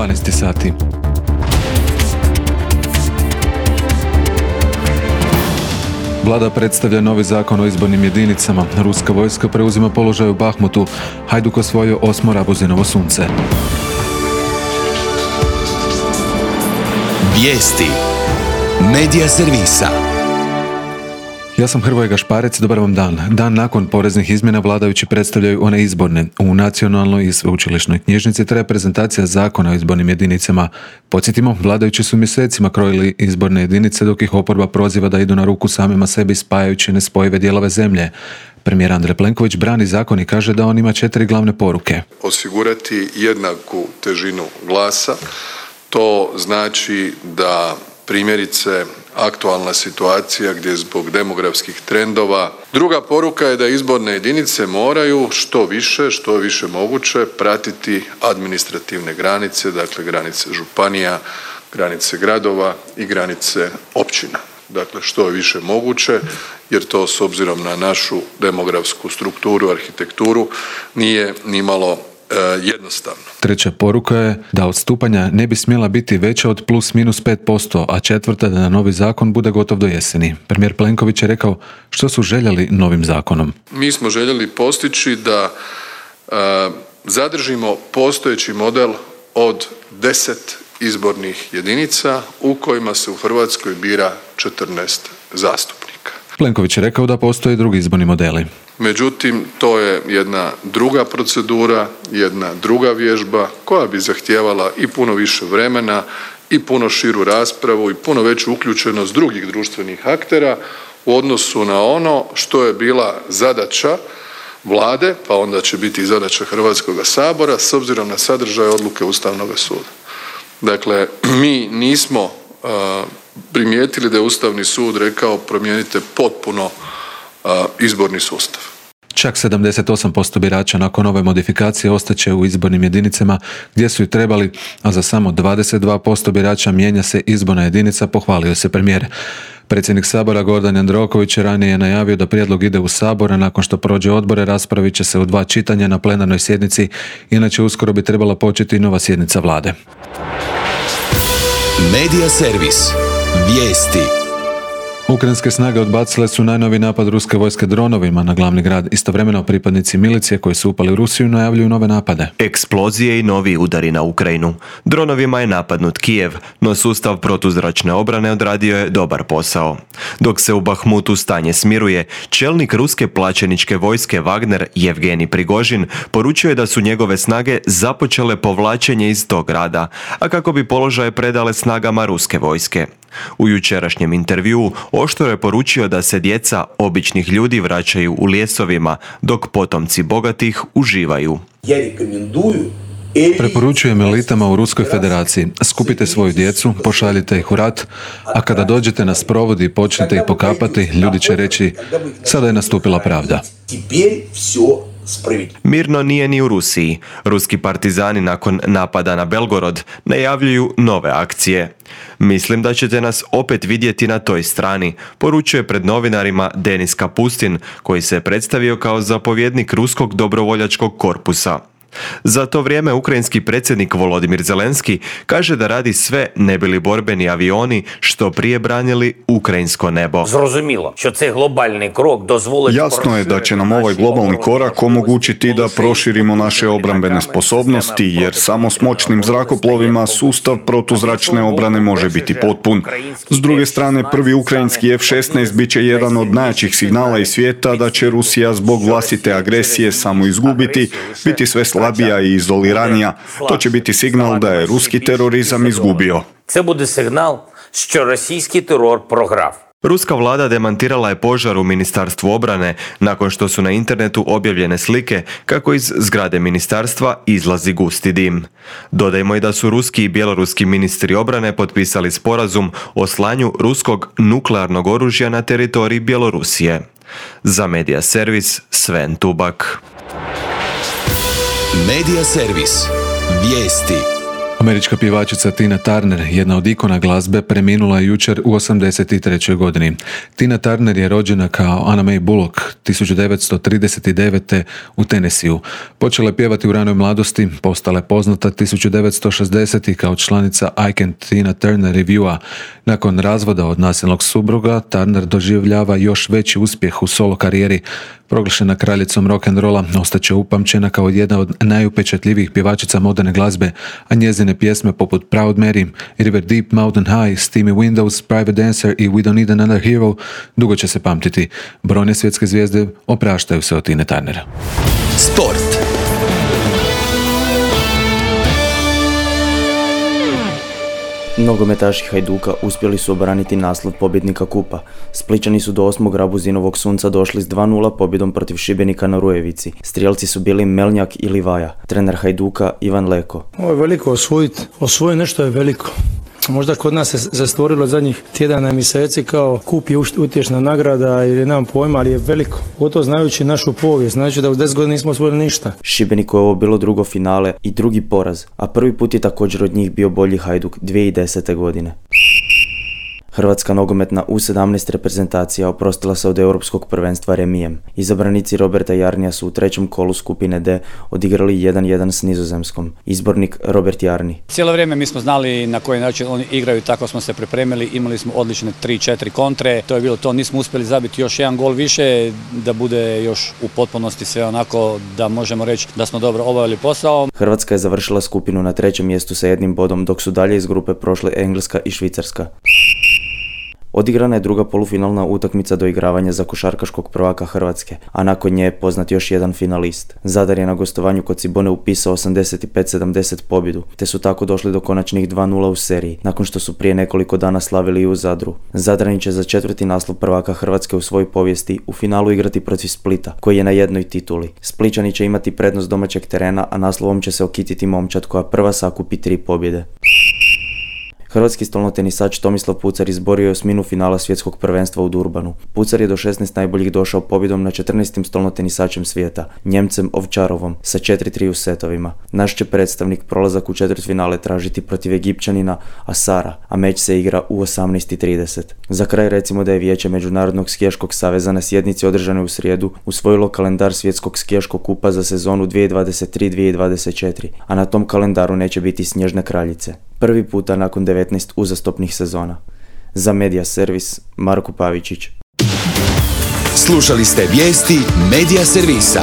12 sati. Vlada predstavlja novi zakon o izbornim jedinicama. Ruska vojska preuzima položaj u Bahmutu. Hajduk osvojio 8. Rabuzinovo sunce. Vijesti Medija servisa. Ja sam Hrvoje Gašparec, dobar vam dan. Dan nakon poreznih izmjena vladajući predstavljaju one izborne. U Nacionalnoj i sveučilišnoj knjižnici traje prezentacija zakona o izbornim jedinicama. Podsjetimo, vladajući su mjesecima krojili izborne jedinice dok ih oporba proziva da idu na ruku samima sebi spajajući nespojive dijelove zemlje. Premijer Andrej Plenković brani zakon i kaže da on ima 4 glavne poruke. Osigurati jednaku težinu glasa, to znači da primjerice aktualna situacija gdje zbog demografskih trendova. Druga poruka je da izborne jedinice moraju što je više moguće pratiti administrativne granice, dakle granice županija, granice gradova i granice općina. Dakle, što je više moguće, jer to s obzirom na našu demografsku strukturu, arhitekturu nije nimalo jednostavno. Treća poruka je da odstupanja ne bi smjela biti veća od plus minus 5%, a četvrta da novi zakon bude gotov do jeseni. Premijer Plenković je rekao što su željeli novim zakonom. Mi smo željeli postići da zadržimo postojeći model od 10 izbornih jedinica u kojima se u Hrvatskoj bira 14 zastupnika. Plenković je rekao da postoje drugi izborni modeli. Međutim, to je jedna druga procedura, jedna druga vježba koja bi zahtijevala i puno više vremena i puno širu raspravu i puno veću uključenost drugih društvenih aktera u odnosu na ono što je bila zadaća Vlade, pa onda će biti i zadaća Hrvatskoga sabora s obzirom na sadržaj odluke Ustavnoga suda. Dakle, mi nismo primijetili da je Ustavni sud rekao promijenite potpuno izborni sustav. Čak 78% birača nakon ove modifikacije ostaće u izbornim jedinicama gdje su i trebali, a za samo 22% birača mijenja se izborna jedinica, pohvalio se premijer. Predsjednik Sabora Gordan Jandroković ranije je najavio da prijedlog ide u Sabor, a nakon što prođe odbore raspravit će se u 2 čitanja na plenarnoj sjednici, inače uskoro bi trebala početi nova sjednica vlade. Medija servis. Vijesti. Ukrajinske snage odbacile su najnoviji napad ruske vojske dronovima na glavni grad. Istovremeno pripadnici milicije koji su upali u Rusiju najavljuju nove napade. Eksplozije i novi udari na Ukrajinu. Dronovima je napadnut Kijev, no sustav protuzračne obrane odradio je dobar posao. Dok se u Bahmutu stanje smiruje, čelnik ruske plaćeničke vojske Wagner, Jevgenij Prigožin, poručio je da su njegove snage započele povlačenje iz tog grada, a kako bi položaje predale snagama ruske vojske. U jučerašnjem intervjuu oštro je poručio da se djeca običnih ljudi vraćaju u lijesovima, dok potomci bogatih uživaju. Preporučujem elitama u Ruskoj federaciji, skupite svoju djecu, pošaljite ih u rat, a kada dođete na sprovod i počnete ih pokapati, ljudi će reći, sada je nastupila pravda. Mirno nije ni u Rusiji. Ruski partizani nakon napada na Belgorod najavljuju nove akcije. Mislim da ćete nas opet vidjeti na toj strani, poručuje pred novinarima Denis Kapustin, koji se predstavio kao zapovjednik ruskog dobrovoljačkog korpusa. Za to vrijeme ukrajinski predsjednik Volodimir Zelenski kaže da radi sve ne bi li borbeni avioni što prije branili ukrajinsko nebo. Jasno je da će nam ovaj globalni korak omogućiti da proširimo naše obrambene sposobnosti, jer samo s moćnim zrakoplovima sustav protuzračne obrane može biti potpun. S druge strane, prvi ukrajinski F-16 bit će jedan od najjačih signala iz svijeta da će Rusija zbog vlastite agresije samo izgubiti, biti sve slabija i izoliranija. To će biti signal da je ruski terorizam izgubio. Це буде сигнал, що російський терор програв. Ruska vlada demantirala je požar u Ministarstvu obrane nakon što su na internetu objavljene slike kako iz zgrade ministarstva izlazi gusti dim. Dodajmo i da su ruski i bjeloruski ministri obrane potpisali sporazum o slanju ruskog nuklearnog oružja na teritoriji Bjelorusije. Za Medija servis Sven Tubak. Medija servis. Vijesti. Američka pjevačica Tina Turner, jedna od ikona glazbe, preminula je jučer u 83. godini. Tina Turner je rođena kao Anna Mae Bullock 1939. u Tennesseeu. Počela je pjevati u ranoj mladosti, postala je poznata 1960. kao članica I Can Tina Turner Reviewa. Nakon razvoda od nasilnog supruga, Turner doživljava još veći uspjeh u solo karijeri. Proglašena kraljicom rock'n'rolla, ostaće upamćena kao jedna od najupečatljivijih pjevačica moderne glazbe, a njezine pjesme poput Proud Mary, River Deep, Mountain High, Steamy Windows, Private Dancer i We Don't Need Another Hero dugo će se pamtiti. Brojne svjetske zvijezde opraštaju se od Tine Turnera. Sport. Nogometaši Hajduka uspjeli su obraniti naslov pobjednika kupa. Splićani su do 8. Rabuzinovog sunca došli s 2:0 pobjedom protiv Šibenika na Rujevici. Strijelci su bili Melnjak i Livaja. Trener Hajduka Ivan Leko. Ovo je veliko osvojiti. Osvojiti nešto je veliko. Možda kod nas se zastvorilo zadnjih tjedana i mjeseci kao kup je utješna nagrada ili nemam pojma, ali je veliko. Gotovo znajući našu povijest, znači da u 10 godina nismo osvojili ništa. Šibeniku je ovo bilo drugo finale i drugi poraz, a prvi put je također od njih bio bolji Hajduk 2010. godine. Hrvatska nogometna U17 reprezentacija oprostila se od europskog prvenstva remijem. Izabranici Roberta Jarnija su u trećem kolu skupine D odigrali 1:1 s Nizozemskom. Izbornik Robert Jarni. Cijelo vrijeme mi smo znali na koji način oni igraju, tako smo se pripremili, imali smo odlične 3-4 kontre, to je bilo to, nismo uspjeli zabiti još jedan gol više, da bude još u potpunosti sve onako da možemo reći da smo dobro obavili posao. Hrvatska je završila skupinu na trećem mjestu sa 1 bodom, dok su dalje iz grupe prošle Engleska i Švicarska. Odigrana je druga polufinalna utakmica doigravanja za košarkaškog prvaka Hrvatske, a nakon nje je poznat još jedan finalist. Zadar je na gostovanju kod Cibone upisao 85-70 pobjedu, te su tako došli do konačnih 2:0 u seriji, nakon što su prije nekoliko dana slavili i u Zadru. Zadrani će za 4. naslov prvaka Hrvatske u svojoj povijesti u finalu igrati protiv Splita, koji je na jednoj tituli. Splićani će imati prednost domaćeg terena, a naslovom će se okititi momčad koja prva sakupi 3 pobjede. Hrvatski stolnotenisač Tomislav Pucar izborio je osminu finala svjetskog prvenstva u Durbanu. Pucar je do 16 najboljih došao pobjedom na 14. stolnotenisačem svijeta, Njemcem Ovčarovom, sa 4:3 u setovima. Naš će predstavnik prolazak u četvrtfinale tražiti protiv Egipćanina Asara, a meč se igra u 18:30. Za kraj recimo da je Vijeće Međunarodnog skijaškog saveza na sjednici održane u srijedu usvojilo kalendar svjetskog skijaškog kupa za sezonu 2023-2024, a na tom kalendaru neće biti Snježne kraljice. Prvi puta nakon 19 uzastopnih sezona. Za Media Servis, Marko Pavičić. Slušali ste vijesti Media Servisa.